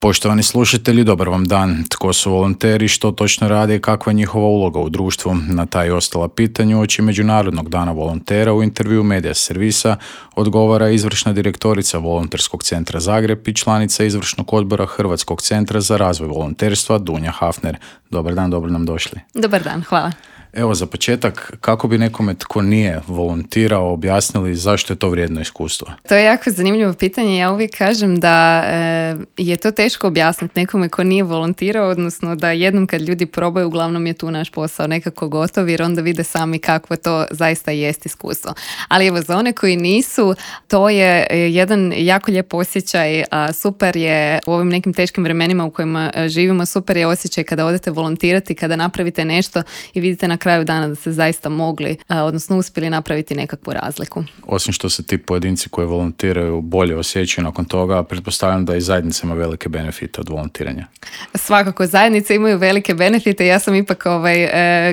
Poštovani slušatelji, dobar vam dan. Tko su volonteri, što točno rade i kakva je njihova uloga u društvu? Na ta i ostala pitanja uoči Međunarodnog dana volontera u intervju Medija servisa odgovara izvršna direktorica Volonterskog centra Zagreb i članica izvršnog odbora Hrvatskog centra za razvoj volonterstva Dunja Hafner. Dobar dan, dobro nam došli. Dobar dan, hvala. Evo, za početak, kako bi nekome tko nije volontirao objasnili zašto je to vrijedno iskustvo? To je jako zanimljivo pitanje. Ja uvijek kažem da je to teško objasniti nekome ko nije volontirao, odnosno da jednom kad ljudi probaju, uglavnom je tu naš posao nekako gotov, jer onda vide sami kakvo to zaista jest iskustvo. Ali evo, za one koji nisu, to je jedan jako lijep osjećaj. Super je u ovim nekim teškim vremenima u kojima živimo, super je osjećaj kada odete volontirati, kada napravite nešto i vidite na kraju dana da ste zaista mogli, odnosno uspjeli napraviti nekakvu razliku. Osim što se ti pojedinci koji volontiraju bolje osjećaju nakon toga, pretpostavljam da i zajednica ima velike benefite od volontiranja. Svakako, zajednice imaju velike benefite. Ja sam ipak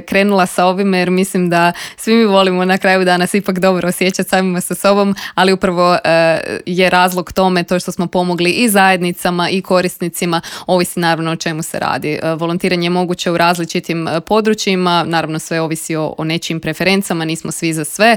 krenula sa ovime jer mislim da svi mi volimo na kraju dana se ipak dobro osjećati samima sa sobom, ali upravo je razlog tome to što smo pomogli i zajednicama i korisnicima, ovisi naravno o čemu se radi. Volontiranje je moguće u različitim područjima, naravno sve ovisi o nečijim preferencama, nismo svi za sve,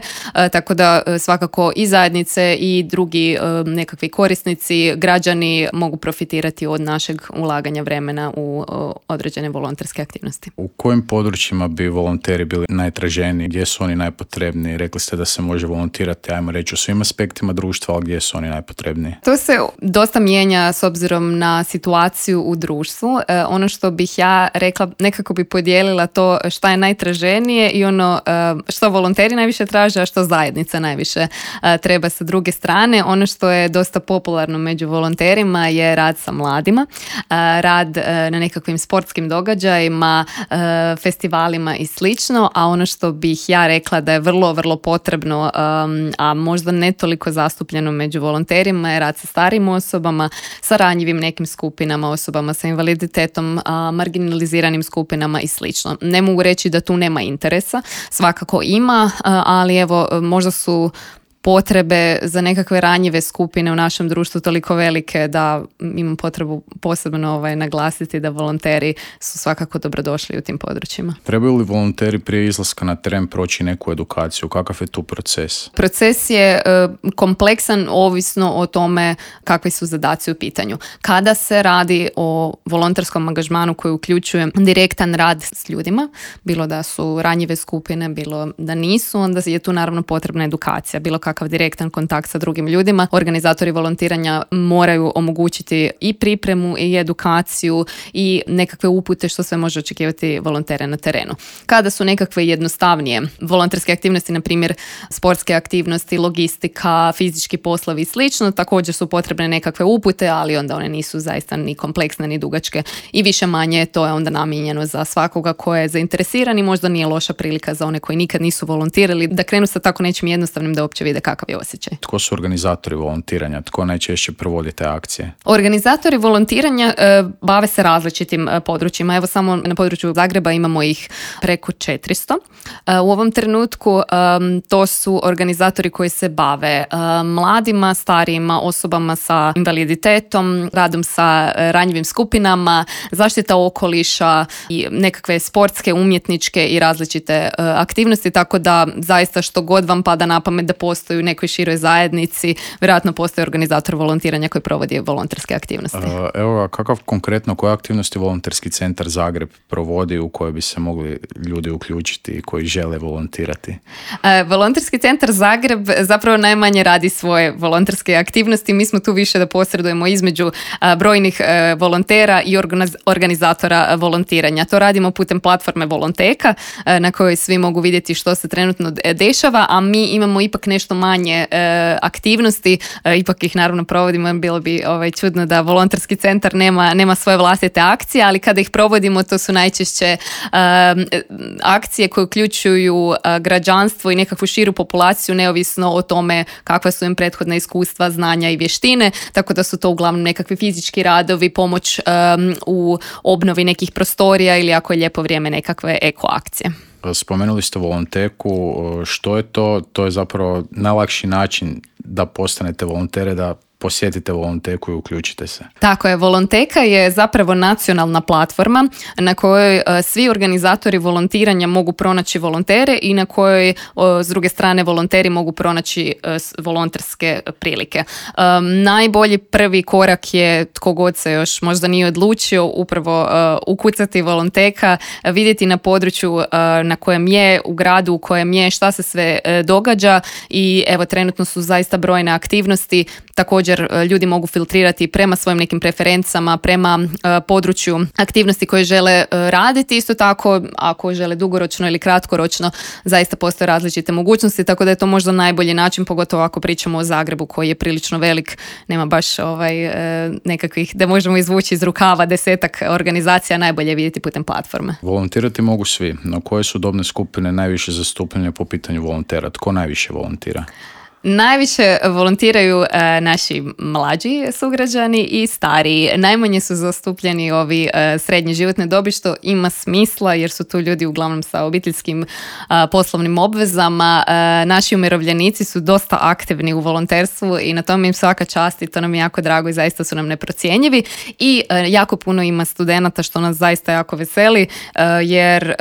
tako da svakako i zajednice i drugi nekakvi korisnici, građani mogu profitirati od našeg ulaganja vremena u određene volonterske aktivnosti. U kojim područjima bi volonteri bili najtraženiji? Gdje su oni najpotrebniji? Rekli ste da se može volontirati, ajmo reći, u svim aspektima društva, ali gdje su oni najpotrebniji? To se dosta mijenja s obzirom na situaciju u društvu. Ono što bih ja rekla, nekako bi podijelila to šta je najtraženije i ono što volonteri najviše traže, a što zajednica najviše treba sa druge strane. Ono što je dosta popularno među volonterima je rad sa mladima, rad na nekakvim sportskim događajima, festivalima i slično, a ono što bih ja rekla da je vrlo, vrlo potrebno, a možda ne toliko zastupljeno među volonterima, je rad sa starijim osobama, sa ranjivim nekim skupinama, osobama sa invaliditetom, marginaliziranim skupinama i slično. Ne mogu reći da tu nema interesa, svakako ima, ali evo, možda su potrebe za nekakve ranjive skupine u našem društvu toliko velike da imam potrebu posebno naglasiti da volonteri su svakako dobrodošli u tim područjima. Trebaju li volonteri prije izlaska na teren proći neku edukaciju? Kakav je tu proces? Proces je kompleksan ovisno o tome kakvi su zadaci u pitanju. Kada se radi o volonterskom angažmanu koji uključuje direktan rad s ljudima, bilo da su ranjive skupine, bilo da nisu, onda je tu naravno potrebna edukacija, bilo kakav direktan kontakt sa drugim ljudima. Organizatori volontiranja moraju omogućiti i pripremu i edukaciju i nekakve upute što sve može očekivati volontere na terenu. Kada su nekakve jednostavnije volonterske aktivnosti, na primjer sportske aktivnosti, logistika, fizički poslovi i slično, također su potrebne nekakve upute, ali onda one nisu zaista ni kompleksne ni dugačke i više manje to je onda namijenjeno za svakoga ko je zainteresiran i možda nije loša prilika za one koji nikad nisu volontirali da krenu sa tako nečim jednostavnim da uopće vide kakav je osjećaj. Tko su organizatori volontiranja? Tko najčešće provodi te akcije? Organizatori volontiranja bave se različitim područjima. Evo samo na području Zagreba imamo ih preko 400. U ovom trenutku to su organizatori koji se bave mladima, starijima, osobama sa invaliditetom, radom sa ranjivim skupinama, zaštita okoliša i nekakve sportske, umjetničke i različite aktivnosti, tako da zaista što god vam pada na pamet da postoji u nekoj široj zajednici, vjerojatno postoji organizator volontiranja koji provodi volonterske aktivnosti. Evo, koje aktivnosti Volonterski centar Zagreb provodi u koje bi se mogli ljudi uključiti i koji žele volontirati? Volonterski centar Zagreb zapravo najmanje radi svoje volonterske aktivnosti. Mi smo tu više da posredujemo između brojnih volontera i organizatora volontiranja. To radimo putem platforme Volonteka na kojoj svi mogu vidjeti što se trenutno dešava, a mi imamo ipak nešto manje aktivnosti, ipak ih naravno provodimo, bilo bi čudno da volonterski centar nema svoje vlastite akcije, ali kada ih provodimo to su najčešće akcije koje uključuju građanstvo i nekakvu širu populaciju neovisno o tome kakva su im prethodna iskustva, znanja i vještine, tako da su to uglavnom nekakvi fizički radovi, pomoć u obnovi nekih prostorija ili ako je lijepo vrijeme nekakve eko akcije. Spomenuli ste Volonteku, što je to? To je zapravo najlakši način da postanete volontere, da posjetite Volonteku i uključite se. Tako je, Volonteka je zapravo nacionalna platforma na kojoj svi organizatori volontiranja mogu pronaći volontere i na kojoj s druge strane volonteri mogu pronaći volonterske prilike. Najbolji prvi korak je, tko god se još možda nije odlučio, upravo ukucati Volonteka, vidjeti na području na kojem je, u gradu u kojem je, šta se sve događa i evo trenutno su zaista brojne aktivnosti. Također ljudi mogu filtrirati prema svojim nekim preferencama, prema području aktivnosti koje žele raditi. Isto tako, ako žele dugoročno ili kratkoročno, zaista postoje različite mogućnosti, tako da je to možda najbolji način, pogotovo ako pričamo o Zagrebu koji je prilično velik, nema baš nekakvih da možemo izvući iz rukava 10 organizacija, najbolje je vidjeti putem platforme. Volontirati mogu svi, no koje su dobne skupine najviše zastupljene po pitanju volontera? Tko najviše volontira? Najviše volontiraju naši mlađi sugrađani i stariji. Najmanje su zastupljeni ovi srednje životne dobi, što ima smisla jer su tu ljudi uglavnom sa obiteljskim poslovnim obvezama. Naši umirovljenici su dosta aktivni u volonterstvu i na tome im svaka čast i to nam je jako drago i zaista su nam neprocjenjivi. I jako puno ima studenata što nas zaista jako veseli jer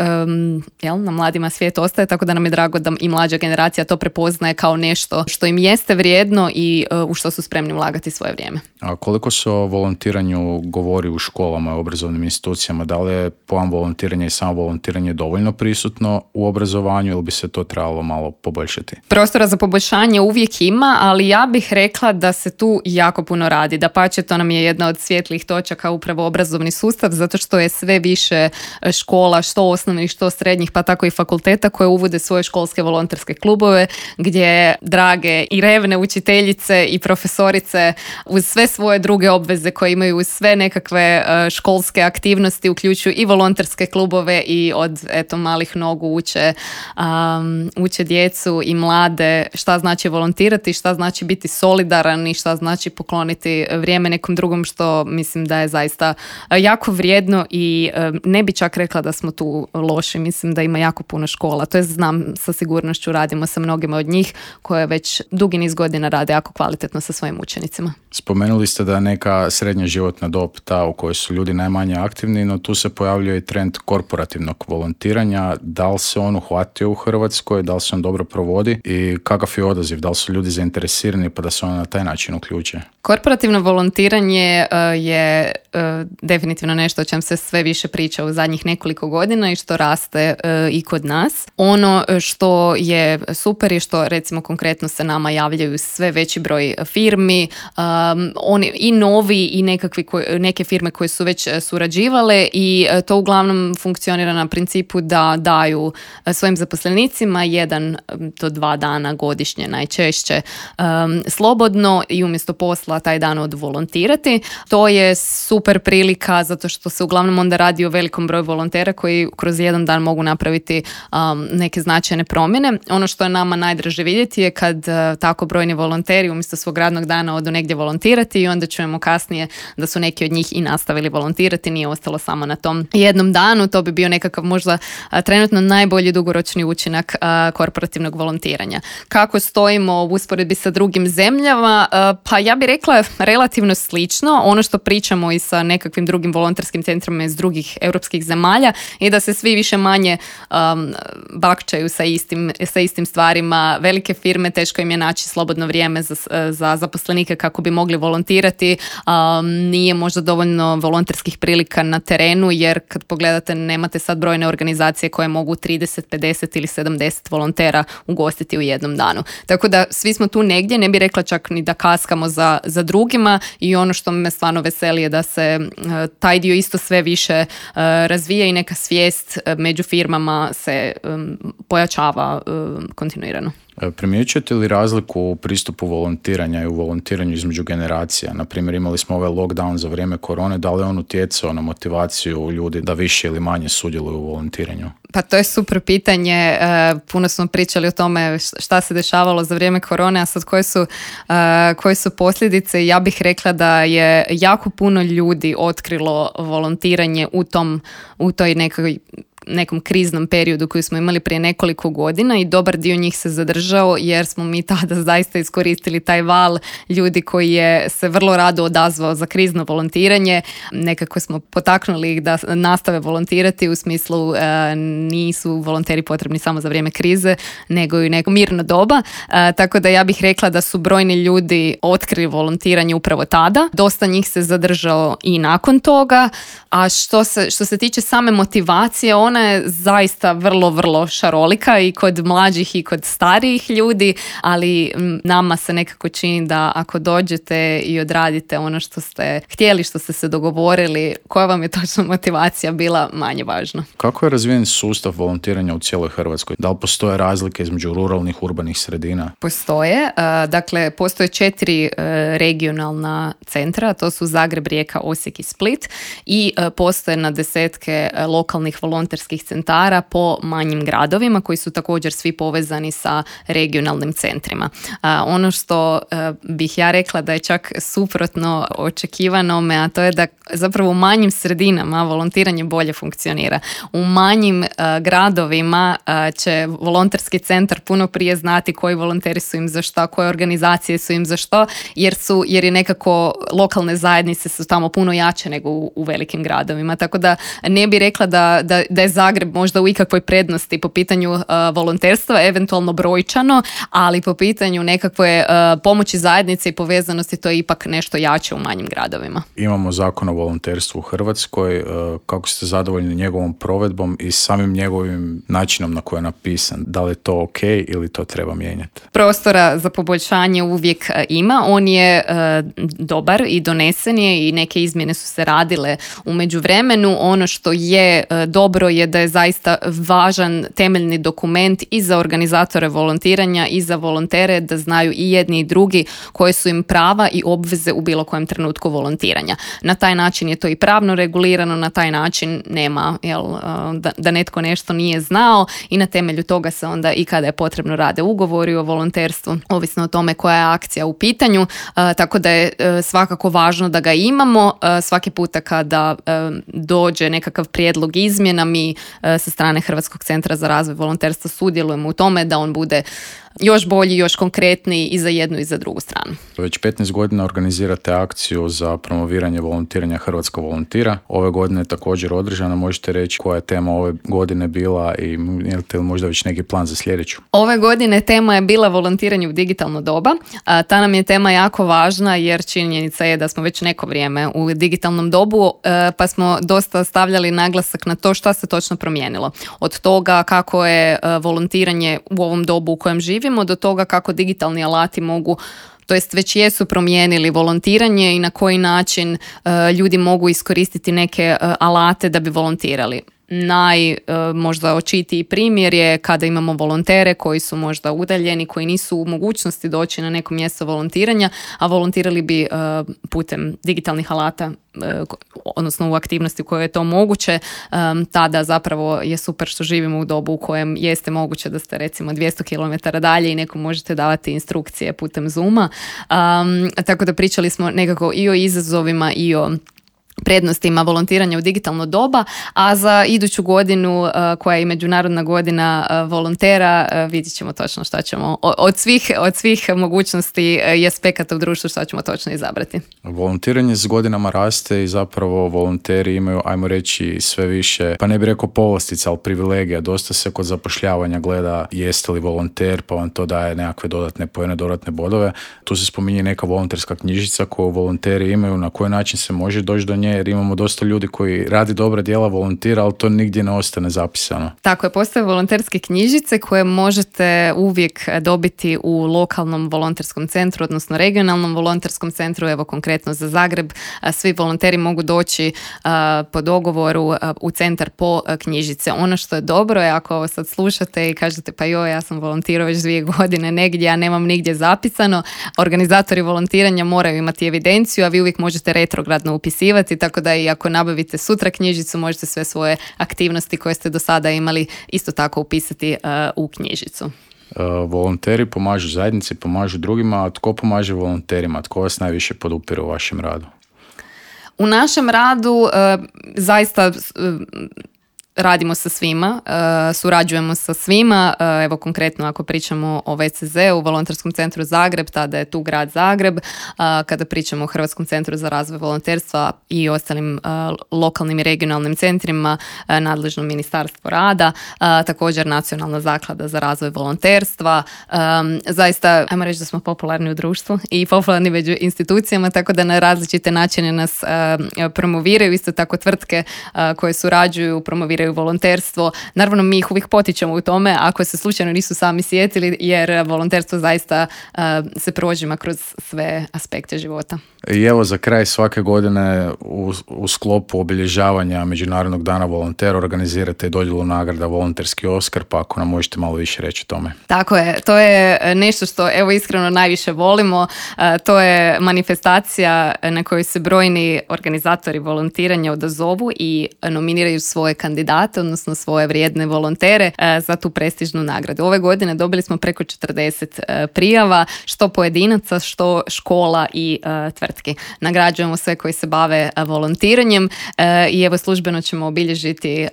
na mladima svijet ostaje, tako da nam je drago da i mlađa generacija to prepoznaje kao nešto što im jeste vrijedno i u što su spremni ulagati svoje vrijeme. A koliko se o volontiranju govori u školama i obrazovnim institucijama? Da li je pojam volontiranja i samo volontiranje dovoljno prisutno u obrazovanju ili bi se to trebalo malo poboljšati? Prostora za poboljšanje uvijek ima, ali ja bih rekla da se tu jako puno radi. Dapače, to nam je jedna od svjetlih točaka upravo obrazovni sustav, zato što je sve više škola, što osnovnih, što srednjih, pa tako i fakulteta koje uvode svoje školske volonterske klubove gdje drage i revne učiteljice i profesorice uz sve svoje druge obveze koje imaju, uz sve nekakve školske aktivnosti uključuju i volonterske klubove i od malih nogu uče djecu i mlade šta znači volontirati, šta znači biti solidaran i šta znači pokloniti vrijeme nekom drugom, što mislim da je zaista jako vrijedno i ne bi čak rekla da smo tu loši. Mislim da ima jako puno škola, to je znam sa sigurnošću, radimo sa mnogima od njih koje već dugi niz godina rade jako kvalitetno sa svojim učenicima. Spomenuli ste da je neka srednja životna dob ta u kojoj su ljudi najmanje aktivni, no tu se pojavljuje i trend korporativnog volontiranja. Da li se on uhvatio u Hrvatskoj, da li se on dobro provodi i kakav je odaziv, da li su ljudi zainteresirani pa da se on na taj način uključe? Korporativno volontiranje je definitivno nešto o čem se sve više priča u zadnjih nekoliko godina i što raste i kod nas. Ono što je super je što recimo konkretno se nama javljaju sve veći broj firmi, oni i novi i neke firme koje su već surađivale i to uglavnom funkcionira na principu da daju svojim zaposlenicima 1 do 2 dana godišnje najčešće slobodno i umjesto posla taj dan odvolontirati. To je super prilika zato što se uglavnom onda radi o velikom broju volontera koji kroz jedan dan mogu napraviti neke značajne promjene. Ono što je nama najdraže vidjeti je kad tako brojni volonteri umjesto svog radnog dana odu negdje volontirati i onda čujemo kasnije da su neki od njih i nastavili volontirati, nije ostalo samo na tom jednom danu. To bi bio nekakav možda trenutno najbolji dugoročni učinak korporativnog volontiranja. Kako stojimo u usporedbi sa drugim zemljama? Pa ja bih rekla relativno slično. Ono što pričamo i sa nekakvim drugim volonterskim centrima iz drugih europskih zemalja je da se svi više manje bakčaju sa istim stvarima. Velike firme, teško im je naći slobodno vrijeme za zaposlenike kako bi mogli volontirati. Nije možda dovoljno volonterskih prilika na terenu, jer kad pogledate nemate sad brojne organizacije koje mogu 30, 50 ili 70 volontera ugostiti u jednom danu. Tako da svi smo tu negdje, ne bih rekla čak ni da kaskamo za drugima i ono što me stvarno veseli je da se taj dio isto sve više razvija i neka svijest među firmama se pojačava kontinuirano. Primjećujete li razliku u pristupu volontiranja i u volontiranju između generacija? Naprimjer, imali smo ovaj lockdown za vrijeme korone, da li je on utjecao na motivaciju ljudi da više ili manje sudjeluju u volontiranju? Pa to je super pitanje. Puno smo pričali o tome šta se dešavalo za vrijeme korone, a sad koje su posljedice. Ja bih rekla da je jako puno ljudi otkrilo volontiranje u toj nekoj nekom kriznom periodu koji smo imali prije nekoliko godina i dobar dio njih se zadržao jer smo mi tada zaista iskoristili taj val ljudi koji je se vrlo rado odazvao za krizno volontiranje. Nekako smo potaknuli ih da nastave volontirati u smislu nisu volonteri potrebni samo za vrijeme krize, nego i neko mirno doba. Tako da ja bih rekla da su brojni ljudi otkrili volontiranje upravo tada. Dosta njih se zadržao i nakon toga. A što se tiče same motivacije, ona je zaista vrlo, vrlo šarolika i kod mlađih i kod starijih ljudi, ali nama se nekako čini da ako dođete i odradite ono što ste htjeli, što ste se dogovorili, koja vam je točno motivacija bila, manje važno. Kako je razvijen sustav volontiranja u cijeloj Hrvatskoj? Da li postoje razlike između ruralnih, urbanih sredina? Postoje. Dakle, postoje 4 regionalna centra, to su Zagreb, Rijeka, Osijek i Split i postoje na desetke lokalnih volonterskih centara po manjim gradovima koji su također svi povezani sa regionalnim centrima. Ono što bih ja rekla da je čak suprotno očekivanome, a to je da zapravo u manjim sredinama volontiranje bolje funkcionira. U manjim gradovima će volonterski centar puno prije znati koji volonteri su im za što, koje organizacije su im za što, jer je nekako lokalne zajednice su tamo puno jače nego u velikim gradovima. Tako da ne bi rekla da je Zagreb možda u ikakvoj prednosti po pitanju volonterstva, eventualno brojčano, ali po pitanju nekakve pomoći zajednice i povezanosti to je ipak nešto jače u manjim gradovima. Imamo zakon o volonterstvu u Hrvatskoj. Kako ste zadovoljni njegovom provedbom i samim njegovim načinom na koji je napisan? Da li je to ok ili to treba mijenjati? Prostora za poboljšanje uvijek ima. On je dobar i donesen je i neke izmjene su se radile u međuvremenu. Ono što je dobro je da je zaista važan temeljni dokument i za organizatore volontiranja i za volontere da znaju i jedni i drugi koje su im prava i obveze u bilo kojem trenutku volontiranja. Na taj način je to i pravno regulirano, na taj način nema da netko nešto nije znao i na temelju toga se onda i kada je potrebno rade ugovori o volonterstvu, ovisno o tome koja je akcija u pitanju, tako da je svakako važno da ga imamo. Svaki puta kada dođe nekakav prijedlog izmjena, mi sa strane Hrvatskog centra za razvoj volonterstva sudjelujemo u tome da on bude još bolji, još konkretniji i za jednu i za drugu stranu. Već 15 godina organizirate akciju za promoviranje volontiranja Hrvatska volontira. Ove godine je također održana. Možete reći koja je tema ove godine bila i imate li možda već neki plan za sljedeću? Ove godine tema je bila volontiranje u digitalno doba. Ta nam je tema jako važna jer činjenica je da smo već neko vrijeme u digitalnom dobu, pa smo dosta stavljali naglasak na to šta se točno promijenilo. Od toga kako je volontiranje u ovom dobu u kojem živimo do toga kako digitalni alati mogu, to jest već jesu promijenili volontiranje i na koji način ljudi mogu iskoristiti neke alate da bi volontirali. Možda očitiji primjer je kada imamo volontere koji su možda udaljeni, koji nisu u mogućnosti doći na neko mjesto volontiranja, a volontirali bi putem digitalnih alata, odnosno u aktivnosti u kojoj je to moguće. Tada zapravo je super što živimo u dobu u kojem jeste moguće da ste recimo 200 km dalje i nekom možete davati instrukcije putem Zooma. Tako da pričali smo nekako i o izazovima i o prednostima volontiranja u digitalno doba, a za iduću godinu koja je i Međunarodna godina volontera vidjet ćemo točno šta ćemo od svih mogućnosti i aspekata u društvu šta ćemo točno izabrati. Volontiranje s godinama raste i zapravo volonteri imaju, ajmo reći, sve više, pa ne bih rekao povlastica, ali privilegija. Dosta se kod zapošljavanja gleda jeste li volonter, pa vam to daje nekakve dodatne poene, dodatne bodove. Tu se spominje neka volonterska knjižica koju volonteri imaju, na koji način se može doći do nje, jer imamo dosta ljudi koji radi dobra djela, volontira, ali to nigdje ne ostane zapisano. Tako je, postoje volonterske knjižice koje možete uvijek dobiti u lokalnom volonterskom centru, odnosno regionalnom volonterskom centru, evo konkretno za Zagreb. Svi volonteri mogu doći po dogovoru u centar po knjižice. Ono što je dobro je ako ovo sad slušate i kažete pa ja sam volontirao već 2 godine negdje, a nemam nigdje zapisano, organizatori volontiranja moraju imati evidenciju, a vi uvijek možete retrogradno upisivati, tako da i ako nabavite sutra knjižicu, možete sve svoje aktivnosti koje ste do sada imali isto tako upisati u knjižicu. Volonteri pomažu zajednici, pomažu drugima, a tko pomaže volonterima? Tko vas najviše podupire u vašem radu? U našem radu zaista radimo sa svima, surađujemo sa svima, evo konkretno ako pričamo o VCZ-u, Volonterskom centru Zagreb, tada je tu grad Zagreb, kada pričamo o Hrvatskom centru za razvoj volonterstva i ostalim lokalnim i regionalnim centrima, nadležno Ministarstvo rada, također Nacionalna zaklada za razvoj volonterstva. Zaista, ajmo reći da smo popularni u društvu i popularni među institucijama, tako da na različite načine nas promoviraju, isto tako tvrtke koje surađuju, promoviraju volonterstvo. Naravno, mi ih uvijek potičemo u tome ako se slučajno nisu sami sjetili, jer volonterstvo zaista se prožima kroz sve aspekte života. I evo za kraj svake godine u sklopu obilježavanja Međunarodnog dana volontera organizirate dodjelu nagrada Volonterski Oskar, pa ako nam možete malo više reći o tome. Tako je, to je nešto što evo iskreno najviše volimo. To je manifestacija na kojoj se brojni organizatori volontiranja odazovu i nominiraju svoje kandidate, odnosno svoje vrijedne volontere za tu prestižnu nagradu. Ove godine dobili smo preko 40 prijava, što pojedinaca, što škola i tvrtki. Nagrađujemo sve koji se bave volontiranjem i evo službeno ćemo obilježiti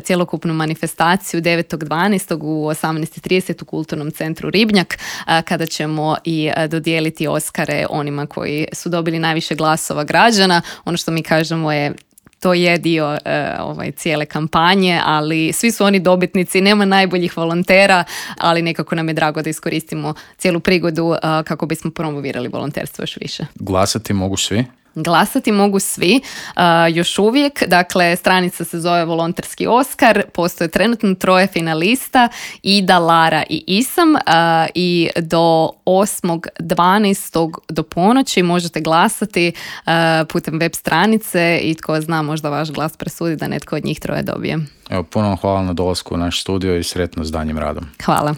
cjelokupnu manifestaciju 9.12. u 18.30 u Kulturnom centru Ribnjak, kada ćemo i dodijeliti Oskare onima koji su dobili najviše glasova građana. Ono što mi kažemo je to je dio cijele kampanje, ali svi su oni dobitnici, nema najboljih volontera, ali nekako nam je drago da iskoristimo cijelu prigodu kako bismo promovirali volonterstvo još više. Glasati mogu svi? Glasati mogu svi, još uvijek, dakle stranica se zove Volonterski Oskar, postoje trenutno 3 finalista, Ida, Lara i Isam, i do 8.12. do ponoći možete glasati putem web stranice i tko zna, možda vaš glas presudi da netko od njih 3 dobije. Evo, puno hvala na dolasku u naš studio i sretno s daljnjim radom. Hvala.